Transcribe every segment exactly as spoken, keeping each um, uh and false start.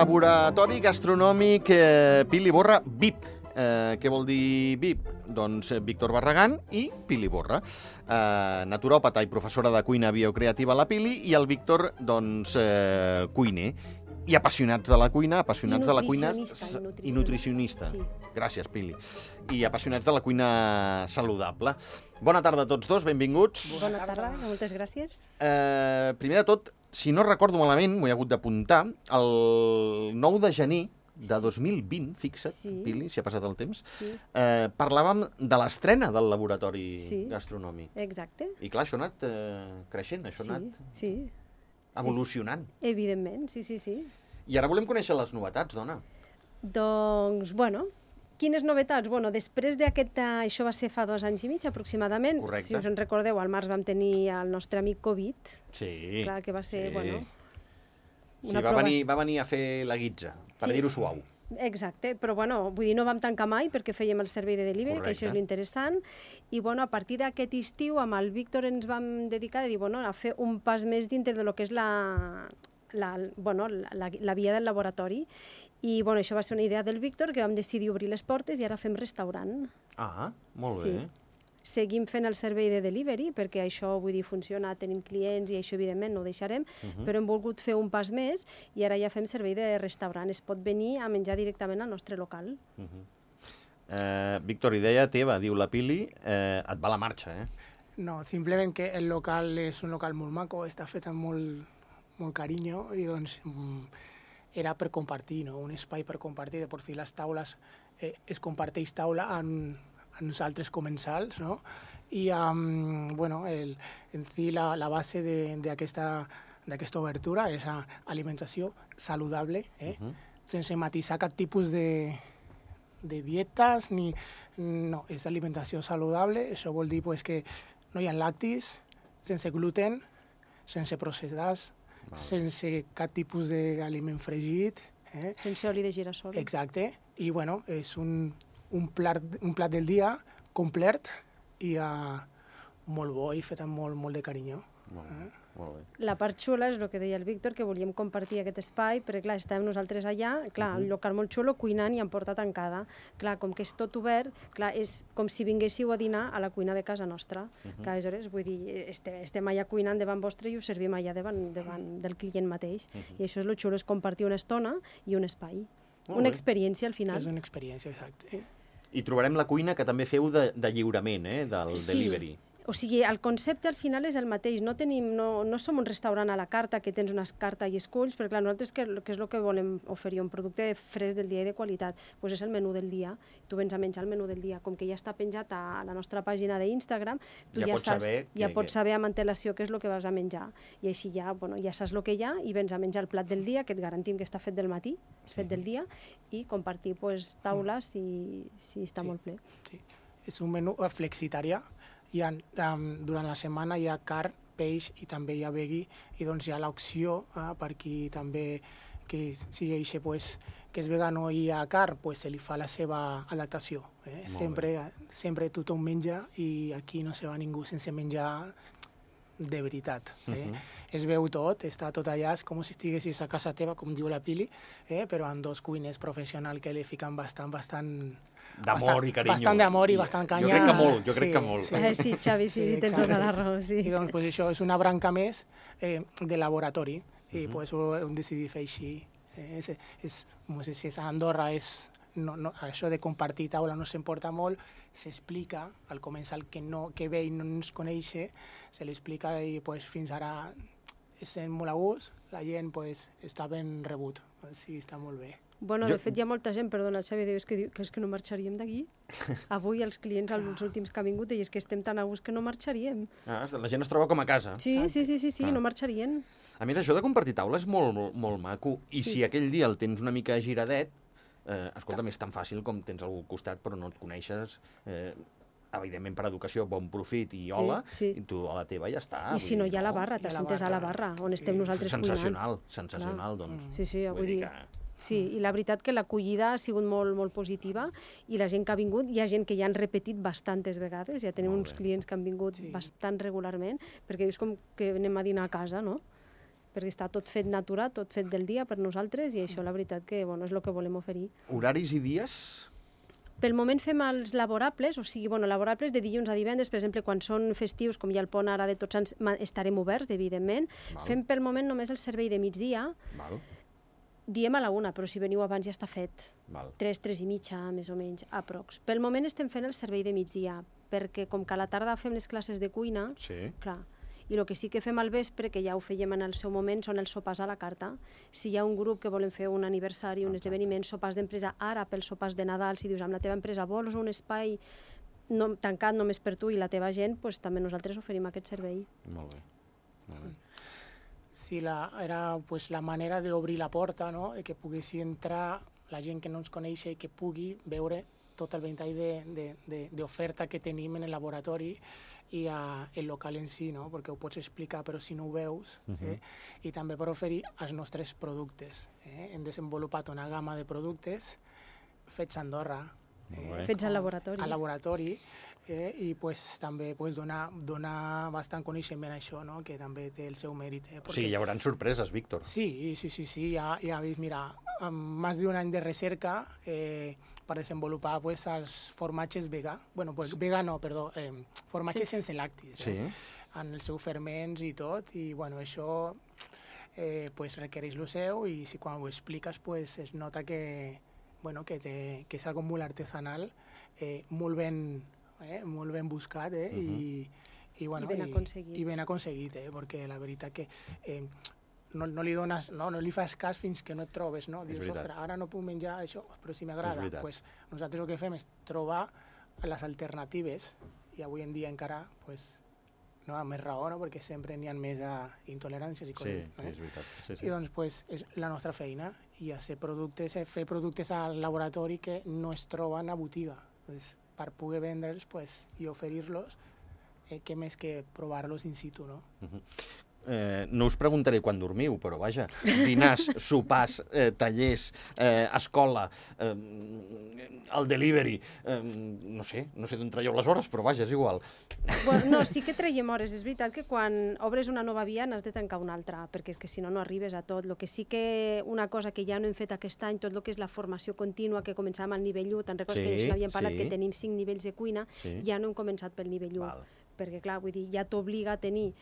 Laboratori Gastronòmic eh, Pili Borra, V I P. Eh, què vol dir V I P? Doncs eh, Víctor Barragán i Pili Borra. Eh, naturòpata i professora de cuina biocreativa a la Pili, i el Víctor, doncs, eh, cuiner. I apassionats de la cuina, apassionats de la cuina... I nutricionista. I nutricionista. Sí. Gràcies, Pili. I apassionats de la cuina saludable. Bona tarda a tots dos, benvinguts. Bona tarda, moltes gràcies. Eh, primer de tot, si no recordo malament, m'ho he hagut d'apuntar, el nou de gener de dos mil vint, fixa't, Sí. Pili, si ha passat el temps, Sí, eh, parlàvem de l'estrena del laboratori Sí. gastronòmic. exacte. I clar, això ha anat eh, creixent, això ha Sí, anat sí, evolucionant. evidentment, sí, sí, sí. I ara volem conèixer les novetats, dona. Doncs, bueno, quines novetats? Bueno, després d'aquest... Això va ser fa dos anys i mig, aproximadament. Correcte. Si us en recordeu, al març vam tenir el nostre amic Covid. Sí. Clar, que va ser, sí. bueno... Sí, va, venir, va venir a fer la guitza, per Sí. dir-ho suau. Exacte, però bueno, vull dir, no vam tancar mai perquè fèiem el servei de delivery, Correcte. que això és l'interessant, i bueno, a partir d'aquest estiu amb el Víctor ens vam dedicar a dir, bueno, a fer un pas més dintre de lo que és la, la, bueno, la, la, la via del laboratori, i bueno, això va ser una idea del Víctor, que vam decidir obrir les portes i ara fem restaurant. Ah, molt Sí. bé. Seguim fent el servei de delivery, perquè això, vull dir, funciona, tenim clients i això, evidentment, no ho deixarem, Mhm. però hem volgut fer un pas més i ara ja fem servei de restaurant. Es pot venir a menjar directament al nostre local. Uh -huh. eh, Víctor, idea teva, diu la Pili, eh, et va la marxa, eh? No, simplement que el local és un local molt maco, està fet amb molt, molt carinyo i doncs mm, era per compartir, no? Un espai per compartir, de per si les taules, eh, es comparteix taula en, en els altres comensals, no? I um, bueno, el, en si la, la base d'aquesta d'aquesta obertura és a alimentació saludable, eh? Uh -huh. Sense matisar cap tipus de, de dietes, ni, no, és alimentació saludable. Això vol dir pues, que no hi ha lactis, sense gluten, sense processats, Val. sense cap tipus d'aliment fregit. Eh? Sense oli de girassol. Exacte. I bueno, és un, un, plat, un plat del dia complet i uh, molt bo i fet amb molt, molt de carinyo. Molt bé, molt bé. La part xula és el que deia el Víctor, que volíem compartir aquest espai, perquè clar, estàvem nosaltres allà, clar, Mhm. un local molt xulo, cuinant i amb porta tancada. Clar, com que és tot obert, clar, és com si vinguéssiu a dinar a la cuina de casa nostra. Mhm. Clar, aleshores, vull dir, estem, estem allà cuinant davant vostre i ho servim allà davant, davant del client mateix. Mhm. I això és el xulo, és compartir una estona i un espai. Molt Una bé. experiència, al final. És una experiència, exacte. I trobarem la cuina que també feu de, de lliurament, eh, del Sí. delivery. O sigui, el concepte al final és el mateix. No, tenim, no, no som un restaurant a la carta que tens una carta i esculls, perquè clar, nosaltres què, què és el que volem oferir? Un producte fresc del dia i de qualitat. Pues és el menú del dia. Tu vens a menjar el menú del dia. Com que ja està penjat a la nostra pàgina d'Instagram, tu Ja ja, pots saps, saber ja que- pots que- saber amb antelació què és el que vas a menjar. I així ja, bueno, ja saps el que hi ha i vens a menjar el plat del dia, que et garantim que està fet del matí, és fet del dia, i compartir pues, taules si, si està Sí. molt ple. Sí. És un menú eh, flexitarià. Hi ha, um, durant la setmana hi ha carn, peix i també hi ha veggie, i doncs hi ha l'opció eh, per qui també que sigui eixe, pues, que és vegano i hi ha carn, pues, se li fa la seva adaptació. Eh? Molt Sempre, sempre tothom menja i aquí no se va ningú sense menjar de veritat. Eh? Mhm. Es veu tot, està tot allà, és com si estiguessis a casa teva, com diu la Pili, eh? però amb dos cuiners professionals que li fiquen bastant, bastant... D'amor bastant- i carinyo. Bastant d'amor i bastant canya. Jo crec que molt, jo crec que molt. Sí. Eh, sí, Xavi, sí, Sí, tens exacte. tota la raó, sí. I doncs pues, això és una branca més eh, de laboratori i Mhm. pues, ho hem decidit fer així. Eh, és, és, no sé si és a Andorra, és, no, no, això de compartir taula no s'importa molt, s'explica al començar que, no, que ve i no ens coneix, se li explica i pues, fins ara sent molt a gust, la gent pues, està ben rebut, sí, està molt bé. Bueno, Jo- de fet, hi ha molta gent, perdona, el Xavi, diu, és que, diu, que és que no marxaríem d'aquí. Avui els clients, els últims que han vingut, i és que estem tan a gust que no marxaríem. Ah, la gent es troba com a casa. Sí, sí, sí, sí, sí, Ah. no marxarien. A més, això de compartir taula és molt, molt, molt maco. I Sí. si aquell dia el tens una mica giradet, eh, escolta'm, és tan fàcil com tens algú al costat però no et coneixes, eh, evidentment per educació, bon profit i hola, sí. i tu a la teva ja està. I si vull no dir, hi ha la barra, Hi ha la t'assentes a la barra. barra, on estem Sí. nosaltres cuinant. Sensacional, sensacional, doncs. Sí, sí, Vull vull dir... que- Sí, i la veritat que l'acollida ha sigut molt, molt positiva i la gent que ha vingut, hi ha gent que ja han repetit bastantes vegades, ja tenim Molt uns bé. clients que han vingut Sí. bastant regularment, perquè és com que anem a dinar a casa, no? perquè està tot fet natura, tot fet del dia per nosaltres, i això la veritat que bueno, és el que volem oferir. Horaris i dies? Pel moment fem els laborables, o sigui, bueno, laborables de dilluns a divendres, per exemple, quan són festius, com hi ha el pont ara de Tots Sants, estarem oberts, evidentment. Val. Fem pel moment només el servei de migdia, Val. diem a la una, però si veniu abans ja està fet. Val. Tres, tres i mitja, més o menys, aprox. Pel moment estem fent el servei de migdia, perquè com que a la tarda fem les classes de cuina, Sí. clar, i el que sí que fem al vespre, que ja ho fèiem en el seu moment, són els sopars a la carta. Si hi ha un grup que volen fer un aniversari, un esdeveniment, sopars d'empresa, ara pels sopars de Nadal, si dius amb la teva empresa vols un espai no, tancat només per tu i la teva gent, pues, també nosaltres oferim aquest servei. Molt bé. Molt bé. Sí, la, era pues, la manera d'obrir la porta, no? De que poguessi entrar la gent que no ens coneix i que pugui veure tot el ventall d'oferta que tenim en el laboratori i uh, el local en si, no? Perquè ho pots explicar però si no ho veus, uh -huh. eh? I també per oferir els nostres productes. Eh? Hem desenvolupat una gamma de productes fets a Andorra. Eh? Fets al laboratori. Al laboratori, eh? I pues, també pues, donar, donar bastant coneixement a això, no? Que també té el seu mèrit. Eh? Perquè... O sigui, hi haurà sorpreses, Víctor. Sí, sí, sí, sí, ja, ja vist, mira, amb més d'un any de recerca, eh, per desenvolupar pues, els formatges vegà, bueno, pues, vegà no, perdó, eh, formatges sí. sense lactis, sí. eh, en els seus ferments i tot, i bueno, això eh, pues, requereix el seu, i si quan ho expliques pues, es nota que, bueno, que, té, que és algo molt artesanal, eh, molt, ben, eh, molt ben buscat, eh, uh -huh. i, i, bueno, I ben aconseguit. I, i ben aconseguit, eh, perquè la veritat que... Eh, No, no, li dones, no, no li fas cas fins que no et trobes, no? Dius, ostres, ara no puc menjar això, però si m'agrada. Pues, nosaltres el que fem és trobar les alternatives, i avui en dia encara, pues, no, amb més raó, no? Perquè sempre n'hi ha més uh, intoleràncies i coses. Sí, eh? És veritat. Sí, sí. I doncs, pues, és la nostra feina, i a fer productes, eh, fer productes al laboratori que no es troben a botiga. Pues, per poder vendre'ls pues, i oferir-los, eh, què més que provar-los in situ, no? Uh-huh. Eh, no us preguntaré quan dormiu, però vaja, dinars, sopars, eh, tallers, eh, escola, eh, el delivery, eh, no sé, no sé d'on traieu les hores, però vaja, és igual. Bueno, no, sí que traiem hores. És veritat que quan obres una nova via n'has de tancar una altra, perquè és que si no, no arribes a tot. Lo que sí que una cosa que ja no hem fet aquest any, tot el que és la formació contínua, que començàvem al nivell u, te'n recordes sí, que n'havíem parlat, sí. que tenim cinc nivells de cuina, sí. ja no hem començat pel nivell u. Val. Perquè, clar, vull dir, ja t'obliga a tenir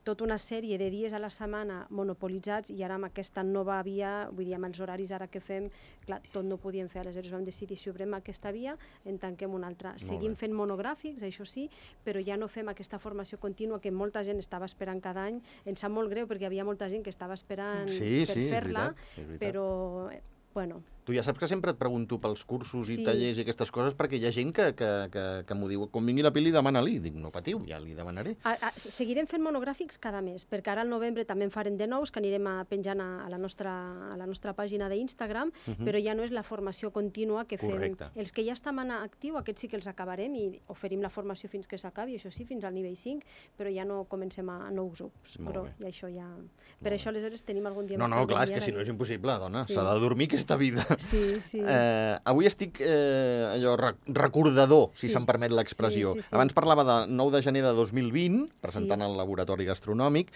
tota una sèrie de dies a la setmana monopolitzats, i ara amb aquesta nova via, vull dir, amb els horaris ara que fem, clar, tot no ho podíem fer, aleshores vam decidir si obrem aquesta via, en tanquem una altra. Seguim fent monogràfics, això sí, però ja no fem aquesta formació contínua que molta gent estava esperant cada any. Ens sap molt greu perquè hi havia molta gent que estava esperant sí, per sí, fer-la, és veritat, però, bueno... Tu ja saps que sempre et pregunto pels cursos i sí. tallers i aquestes coses, perquè hi ha gent que, que, que, que m'ho diu, quan vingui la Pili, demana-li. Dic, no patiu, ja li demanaré. A, a, seguirem fent monogràfics cada mes, perquè ara al novembre també en farem de nous, que anirem a penjant a, a, la, nostra, a la nostra pàgina d'Instagram, uh -huh. però ja no és la formació contínua que fem. Correcte. Els que ja estan en actiu, aquests sí que els acabarem i oferim la formació fins que s'acabi, això sí, fins al nivell cinc, però ja no comencem a nous grups. Però i això ja... Per això, aleshores, tenim algun dia... No, no, clar, és que si no és impossible, dona, sí. s'ha de dormir aquesta vida. Sí, sí. Eh, avui estic eh, allò recordador, si sí. se'm permet l'expressió. Sí, sí, sí. Abans parlava de nou de gener de dos mil vint, presentant sí. el laboratori gastronòmic.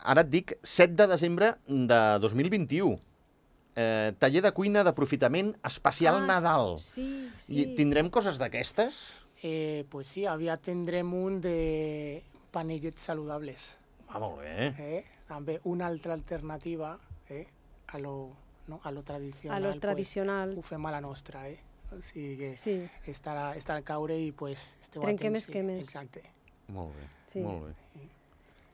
Ara et dic set de desembre de dos mil vint-i-u. Eh, taller de cuina d'aprofitament especial ah, Nadal. Sí, sí. I tindrem coses d'aquestes? Eh, pues sí, aviat tindrem un de panellets saludables. Ah, molt bé. Eh? També una altra alternativa eh? a lo... No? A lo tradicional, a lo tradicional. Pues, ho fem a la nostra, eh? O sigui que sí. estarà, estarà al caure i pues, esteu Trenquem atents. Trenquem esquemes. Exacte. Molt bé, sí. molt bé. Sí.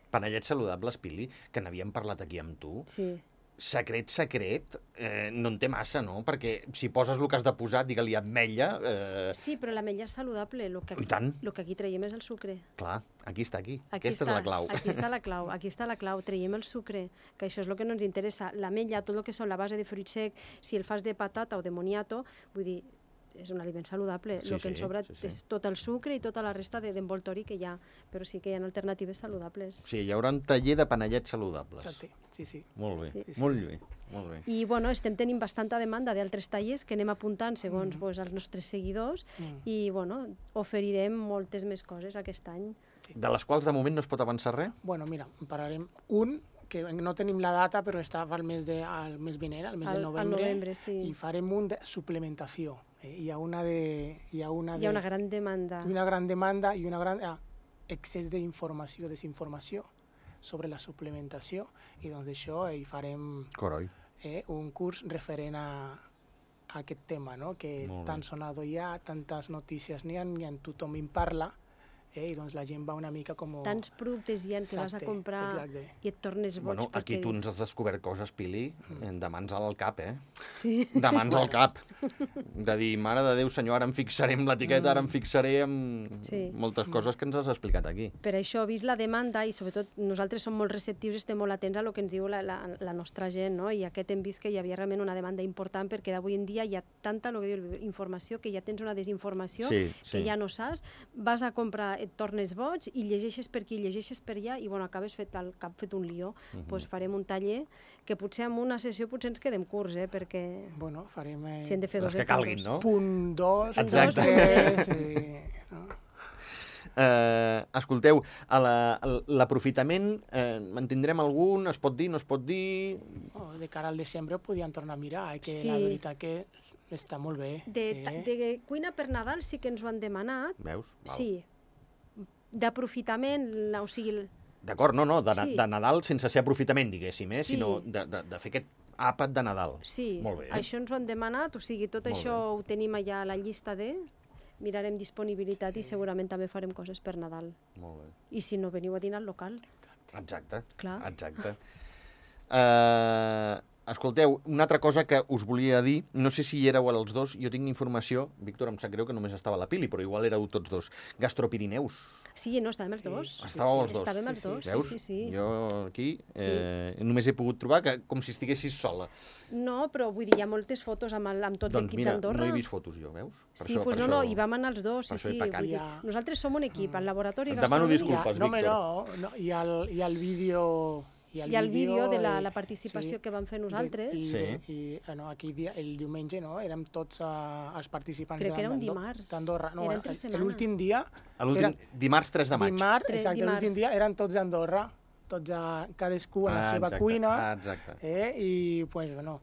Panellets saludables, Pili, que n'havíem parlat aquí amb tu. Sí. Secret, secret, eh, no en té massa, no? Perquè si poses el que has de posar, digue-li ametlla... Eh... Sí, però l'ametlla és saludable. Lo que aquí, I tant. El que aquí traiem és el sucre. Clar, aquí està, aquí. aquí Aquesta està, és la clau. Aquí està la clau, aquí està la clau. Traiem el sucre, que això és el que no ens interessa. L'ametlla, tot el que són la base de fruit sec, si el fas de patata o de moniato, vull dir, és un aliment saludable. Sí, el que ens sí, sobra sí, sí. és tot el sucre i tota la resta d'envoltori que hi ha, però sí que hi ha alternatives saludables. Sí, hi haurà un taller de panellets saludables. Exacte, sí, sí. Molt bé, sí. Sí, molt bé. Molt bé. I bueno, estem tenint bastanta demanda d'altres tallers que anem apuntant segons mm. pues, els nostres seguidors mm. i bueno, oferirem moltes més coses aquest any. De les quals de moment no es pot avançar res? Bueno, mira, en parlarem un que no tenim la data, però estava al mes, de, al mes vinent, al mes Al- de al novembre, novembre, sí. i farem un de suplementació. Eh, hi ha una de... Hi ha una, Hi ha de, una gran demanda. una gran demanda i una gran ah, excés d'informació, desinformació sobre la suplementació, i doncs això eh, hi farem Coroi. eh, un curs referent a, a aquest tema, no? Que Molt bé. tan sonado hi ha, tantes notícies n'hi ha, i en tothom en parla, eh? I doncs la gent va una mica com... Tants productes hi ha que vas a Exacte, comprar exacte. i et tornes boig. Bueno, aquí perquè... tu ens has descobert coses, Pili, de mans al cap, eh? Sí. De mans al cap. De dir, mare de Déu, senyor, ara em fixaré amb l'etiqueta, ara em fixaré amb Sí. moltes coses que ens has explicat aquí. Per això, vist la demanda, i sobretot nosaltres som molt receptius, estem molt atents a lo que ens diu la, la, la nostra gent, no? I aquest hem vist que hi havia realment una demanda important, perquè d'avui en dia hi ha tanta lo que diu, informació, que ja tens una desinformació, Sí, que sí. ja no saps, vas a comprar, et tornes boig, i llegeixes per aquí, llegeixes per allà, i bueno, acabes fet al cap fet un lió. Mhm. pues farem un taller, que potser amb una sessió potser ens quedem curts, eh? Perquè Bueno, farem... Eh, si hem de fer Les dos que en fem calguin, dos. no? punt dos, punt Exacte. tres, eh, no? Eh, escolteu, a la- a l'aprofitament, eh, en tindrem algun? Es pot dir, no es pot dir? Oh, de cara al desembre ho podíem tornar a mirar, eh, que Sí. la veritat que està molt bé. De, ta- eh? de cuina per Nadal sí que ens ho han demanat, Veus? Val. sí. D'aprofitament, la- o sigui, el- D'acord, no, no, de, na- Sí. de Nadal sense ser aprofitament, diguéssim, eh? Sí. sinó de, de, de fer aquest àpat de Nadal. sí, Molt bé. això ens ho han demanat, o sigui, tot Molt això ho tenim allà a la llista de... Mirarem disponibilitat i segurament també farem coses per Nadal. Molt bé. I si no, veniu a dinar al local. Exacte. Clar. Exacte. Uh, escolteu, una altra cosa que us volia dir, no sé si hi éreu els dos, jo tinc informació, Víctor, em sap greu que només estava la Pili, però igual éreu tots dos. Gastropirineus. Sí, no, estàvem els dos. Sí, Estàveu els dos. Estàvem els Sí, sí. dos, sí, Veus? sí, sí. Jo aquí eh, només he pogut trobar que com si estiguessis sola. No, però vull dir, hi ha moltes fotos amb, el, amb tot Doncs l'equip mira, d'Andorra. no he vist fotos jo, veus? Per Sí, això- pues per no, no, això- hi vam anar els dos, sí, per això he sí. pecat. Vull dir, Ja. nosaltres som un equip, al laboratori Et demano gastronòmic. disculpes. no, home, Víctor. no, no, hi ha el, hi ha el vídeo... Hi ha el vídeo de la, eh, la participació sí, que vam fer de- nosaltres. I, Sí. i eh, no, aquí dia, el diumenge no, érem tots uh, els participants Crec que era un d'Ando- dimarts. d'Andorra. No, Era el- entre el- setmana. L'últim dia, A l'últim, Era- dimarts tres de maig. dimarts, Tres exacte, dimarts. l'últim dia eren tots d'Andorra, tots a, cadascú a la Ah, seva exacte, cuina, ah, exacte. eh, i pues, bueno,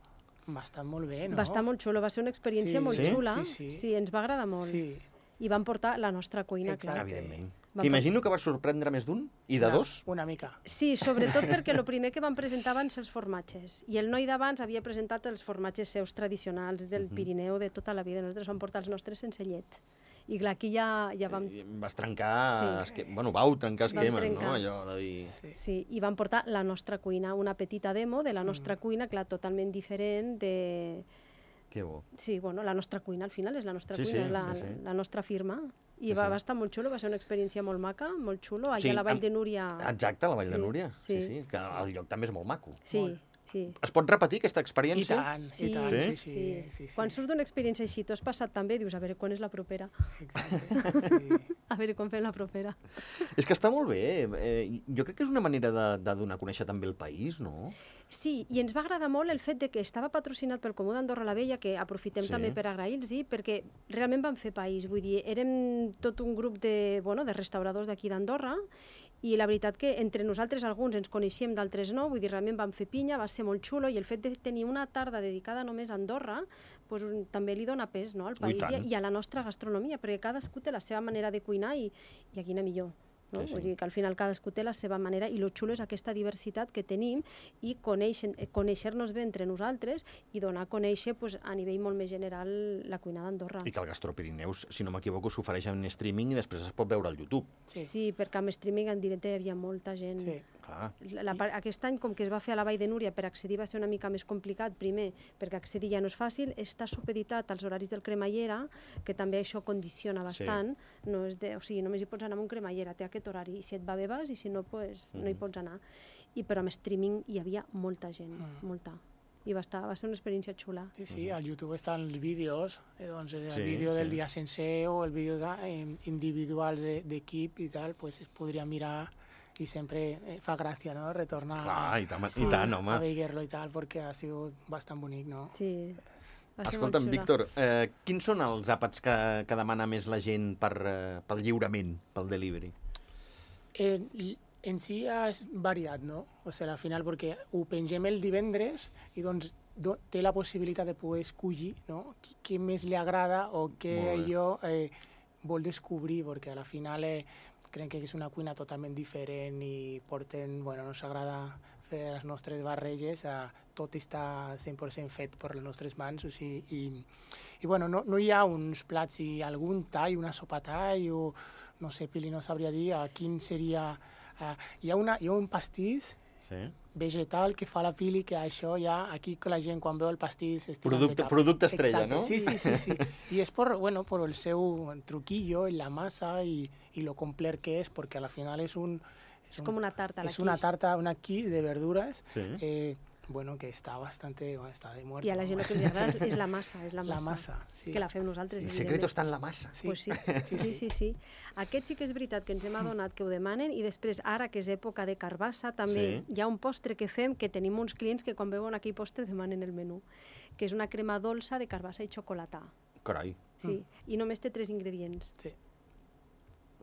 va estar molt bé, no? Va estar molt xulo, va ser una experiència Sí. molt Sí? xula. Sí, sí. sí, ens va agradar molt. Sí, I vam portar la nostra cuina, Exacte. clar. Evidentment. Vam T'imagino que va sorprendre més d'un? I de una- dos? Una mica. Sí, sobretot perquè el primer que van presentar van ser els formatges. I el noi d'abans havia presentat els formatges seus tradicionals del Pirineu de tota la vida. Nosaltres vam portar els nostres sense llet. I clar, aquí ja, ja vam... Eh, Vas trencar... Sí. Esque... Bueno, vau trencar Sí, vam esquemes, no? trencar. Allò de dir... Sí, i vam portar la nostra cuina, una petita demo de la nostra cuina, clar, totalment diferent de... Que bo. Sí, bueno, la nostra cuina, al final és la nostra Sí, cuina, sí, és la, sí, sí. la nostra firma. I Sí, va, sí. va estar molt xulo, va ser una experiència molt maca, molt xulo. Allà Sí, a la Vall amb- de Núria... Exacte, a la Vall de Sí, Núria. Sí, sí. sí, que el lloc també és molt maco. Sí, Molt. sí. Es pot repetir aquesta I experiència? tant, Sí, i tant, Sí? sí, sí. sí, sí, sí. Quan surts d'una experiència així, tu has passat també, dius, a veure, quan és la propera? Exacte, sí. A veure, quan fem la propera? És que està molt bé. Eh, jo crec que és una manera de, de donar a conèixer també el país, no? Sí, i ens va agradar molt el fet de que estava patrocinat pel Comú d'Andorra la Vella, que aprofitem Sí. també per agrair-los, perquè realment van fer país. Vull dir, érem tot un grup de, bueno, de restauradors d'aquí d'Andorra, i la veritat que entre nosaltres alguns ens coneixíem, d'altres no, vull dir, realment vam fer pinya, va ser molt xulo, i el fet de tenir una tarda dedicada només a Andorra pues, un- també li dona pes, no, al Ui, país i, tant. i a la nostra gastronomia, perquè cadascú té la seva manera de cuinar i, i quina millor. No? Sí, sí. Vull dir que al final cadascú té la seva manera, i lo xulo és aquesta diversitat que tenim i conèixer- eh, conèixer-nos bé entre nosaltres i donar a conèixer pues, a nivell molt més general la cuina d'Andorra. I que el Gastropirineus, si no m'equivoco, s'ofereix en streaming i després es pot veure al YouTube. Sí. Sí, perquè amb streaming en directe hi havia molta gent. Sí. Clar. La, la, part- aquest any, com que es va fer a la Vall de Núria, per accedir va ser una mica més complicat, primer, perquè accedir ja no és fàcil, està supeditat als horaris del cremallera, que també això condiciona bastant, no és de, o sigui, només hi pots anar amb un cremallera, té aquest horari, i si et va bé vas, i si no, pues, no hi Mhm. pots anar. I, però amb streaming hi havia molta gent, Mm. molta. I va, estar, va ser una experiència xula. Sí, sí, al YouTube estan els vídeos, eh, doncs el Sí, vídeo del sí. dia sencer o el vídeo de, eh, individuals de- d'equip i tal, pues es podria mirar i sempre eh, fa gràcia, no?, retornar Clar, i tant, a, i tant, home. a veure-lo i tal, perquè ha sigut bastant bonic, no? Sí, va ser Escolta'm, molt xula. Víctor, eh, quins són els àpats que, que demana més la gent per, eh, pel lliurament, pel delivery? Eh, l- En si és variat, no? O sigui, al final, perquè ho pengem el divendres i doncs do, té la possibilitat de poder escollir, no? Qui- Què més li agrada o què Molt bé. allò eh, vol descobrir, perquè al final eh, crec que és una cuina totalment diferent i porten, bueno, ens agrada fer les nostres barreges, eh, tot està cent per cent fet per les nostres mans, o sigui, i, i bueno, no, no hi ha uns plats, i algun tall, una sopa tall, o no sé, Pili no sabria dir a quin seria... Uh, hi, ha una, hi ha un pastís Sí. vegetal que fa la Pili, que això ja, aquí que la gent quan veu el pastís... es tira de Producte, cap. producte estrella, Exacte. no? Sí, sí, sí, sí. I és por, bueno, por el seu truquillo, en la massa i, i lo complet que és, perquè al final és un... És com una tarta a la És una quiche. tarta, una quiche de verdures, Sí. eh, bueno, que està bastante, bueno, està de muerte. I a la gent el que li agrada és la massa, és la La massa. massa, sí. Que la fem nosaltres, El evidentment. secreto està en la massa. Sí. Pues sí. Sí, Sí, sí. sí, sí. Aquest sí que és veritat que ens hem adonat que ho demanen i després, ara que és època de carbassa, també Sí. hi ha un postre que fem que tenim uns clients que quan veuen aquell postre demanen el menú, que és una crema dolça de carbassa i xocolata. Carai. Sí, i només té tres ingredients. Sí.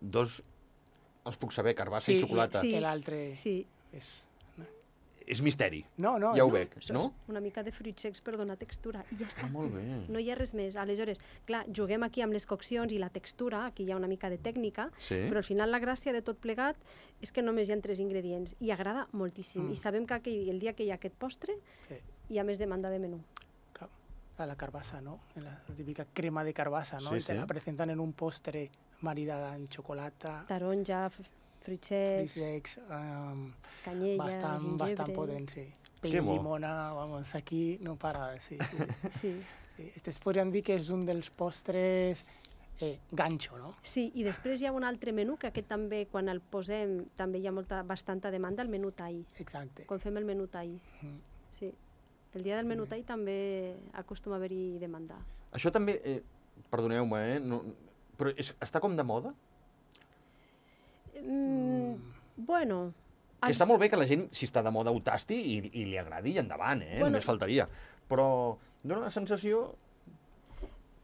Dos els puc saber, carbassa Sí, i xocolata. Sí. que l'altre Sí, és... És misteri. No, no, Ja ho no. veig, això no? és una mica de fruits secs per donar textura i ja està. Ah, molt bé. No hi ha res més. Aleshores, clar, juguem aquí amb les coccions i la textura, aquí hi ha una mica de tècnica, Sí. però al final la gràcia de tot plegat és que només hi ha tres ingredients i agrada moltíssim. Mm. I sabem que aquell, el dia que hi ha aquest postre Sí. hi ha més demanda de menú. Clar, a la carbassa, ¿no? La típica crema de carbassa, ¿no? Sí, Y te sí. la presentan en un postre maridada en xocolata, Taronja, f- fruits fruits secs, secs, um, canyella, bastant, gingebre... bastant potent, sí. Pell Que de bo. llimona, vamos, aquí no para, sí, sí. Sí. sí. Este es podríem dir que és un dels postres eh, ganxo, no? Sí, i després hi ha un altre menú, que aquest també, quan el posem, també hi ha molta, bastanta demanda, el menú tai. Exacte. Quan fem el menú tai. Mm. Sí. El dia del menú tai també acostuma a haver-hi demanda. Això també, eh, perdoneu-me, eh, no, però és, està com de moda? Mm, bueno... Que està molt bé que la gent, si està de moda, ho tasti i, i li agradi i endavant, eh? Bueno. Només faltaria. Però dona la sensació...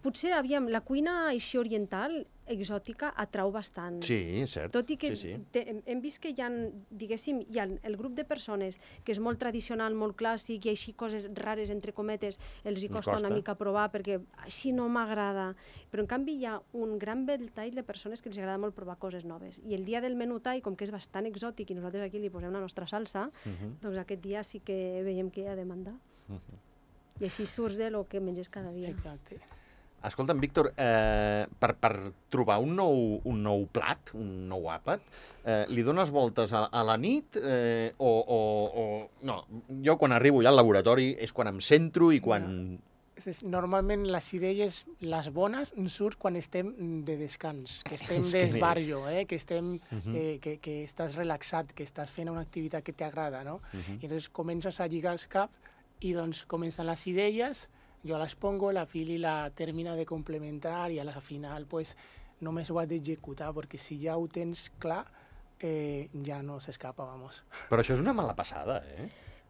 Potser, aviam, la cuina així oriental, exòtica, atrau bastant. Sí, és cert. Tot i que sí, sí. te, hem vist que hi ha, diguéssim, hi ha el grup de persones que és molt tradicional, molt clàssic, i així coses rares, entre cometes, els hi Li costa, costa. una mica provar perquè així no m'agrada. Però en canvi hi ha un gran ventall de persones que els agrada molt provar coses noves. I el dia del menú tai, com que és bastant exòtic i nosaltres aquí li posem la nostra salsa, Uh -huh. doncs aquest dia sí que veiem que hi ha demanda. Uh -huh. I així surts de lo que menges cada dia. Exacte. Escolta'm, Víctor, eh, per, per trobar un nou, un nou plat, un nou àpat, eh, li dones voltes a, a la nit eh, o, o, o... No, jo quan arribo ja al laboratori és quan em centro i quan... És- Normalment les idees, les bones, ens surt quan estem de descans, que estem És que d'esbarjo, eh? que, estem, Mhm. eh, que, que estàs relaxat, que estàs fent una activitat que t'agrada, no? Uh -huh. I llavors comences a lligar els caps i doncs comencen les idees, jo les pongo, la Pili la termina de complementar i a la final pues, només ho has d'executar, perquè si ja ho tens clar, eh, ja no s'escapa, vamos. Però això és una mala passada, eh?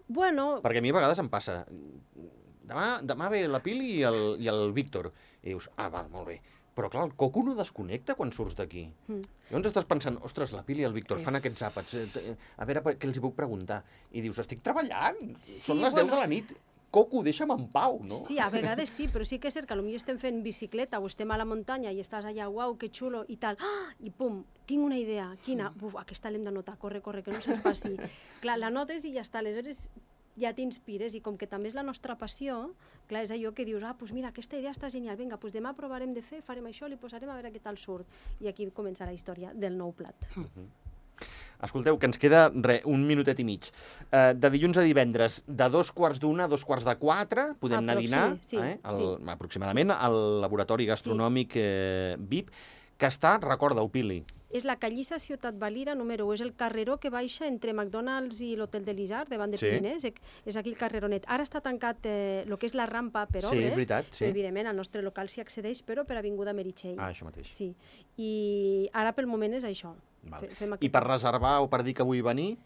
Bueno, Perquè a mi a vegades em passa... Demà, demà ve la Pili i el, i el Víctor. I dius, ah, val, molt bé. Però clar, el coco no desconnecta quan surts d'aquí. Mm. Llavors estàs pensant, ostres, la Pili i el Víctor fan És- aquests àpats, eh, t- a veure per- què els hi puc preguntar. I dius, estic treballant, Sí, són les deu bueno. de la nit. Coco, deixa'm en pau, no? sí, a vegades sí, però sí que és cert que potser estem fent bicicleta o estem a la muntanya i estàs allà, uau, que xulo, i tal, ah, i pum, tinc una idea, quina? Buf, aquesta l'hem d'anotar, corre, corre, que no se'ns passi. Clar, la notes i ja està, aleshores ja t'inspires, i com que també és la nostra passió, clar, és allò que dius, ah, doncs mira, aquesta idea està genial, vinga, doncs demà provarem de fer, farem això, li posarem a veure què tal surt. I aquí comença la història del nou plat. Escolteu, que ens queda, re, un minutet i mig. Uh, de dilluns a divendres, de dos quarts d'una a dos quarts de quatre, podem anar a Aproxi- dinar, sí, eh, al, sí. aproximadament, al laboratori gastronòmic eh, V I P, que està, recorda-ho, Pili, És la Callissa Ciutat Valira, número u, és el carreró que baixa entre McDonald's i l'Hotel de l'Isard, davant de Sí. Pirinès, és, és aquell carreronet. Ara està tancat eh, el que és la rampa per Sí, obres, és veritat, sí. però evidentment al nostre local s'hi accedeix, però per Avinguda Meritxell. ah, això mateix. Sí, i ara pel moment és això. Val. Fe- Fem I aquest... per reservar o per dir que vull venir,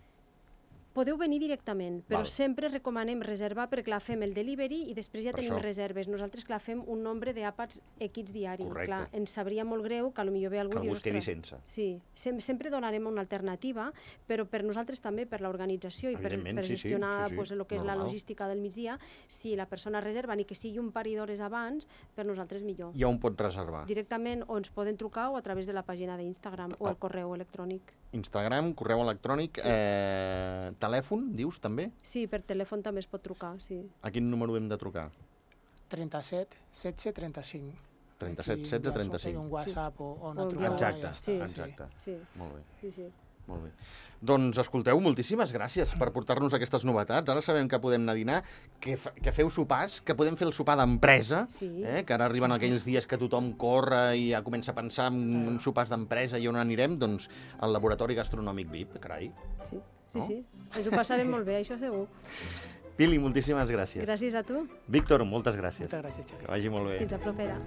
Podeu venir directament, però Val. sempre recomanem reservar perquè clar, fem el delivery i després ja Per tenim això. reserves. Nosaltres clar, fem un nombre d'àpats equis diari. Correcte. Clar, ens sabria molt greu que potser ve algú Que i algú dius, es quedi "Ostres". sense. Sí, sem sempre donarem una alternativa, però per nosaltres també, per l'organització i per, Evidentment, per sí, sí, gestionar sí, sí, pues, el que és la normal. logística del migdia, si la persona reserva ni que sigui un parell d'hores abans, per nosaltres millor. I on pot reservar? Directament o ens poden trucar o a través de la pàgina d'Instagram o Ah. el correu electrònic. Instagram, correu electrònic, Sí. eh, telèfon, dius, també? Sí, per telèfon també es pot trucar, sí. A quin número hem de trucar? trenta-set, setze, trenta-cinc. trenta-set, Aquí setze, ja s'ho trenta-cinc. fer un WhatsApp o, o O una un trucada. Exacte, i ja està. Sí, exacte. Sí, Molt bé, sí, sí. molt bé. Doncs escolteu, moltíssimes gràcies per portar-nos aquestes novetats. Ara sabem que podem anar a dinar, que, fa, que feu sopars, que podem fer el sopar d'empresa, Sí. eh, que ara arriben aquells dies que tothom corre i ja comença a pensar en, en sopars d'empresa i on anirem, doncs al Laboratori Gastronòmic V I P, carai. Sí, sí, No? sí. Ens ho passarem molt bé, això segur. Pili, moltíssimes gràcies. Gràcies a tu. Víctor, moltes gràcies. Moltes gràcies, Xavi. Que vagi molt bé. Fins a propera.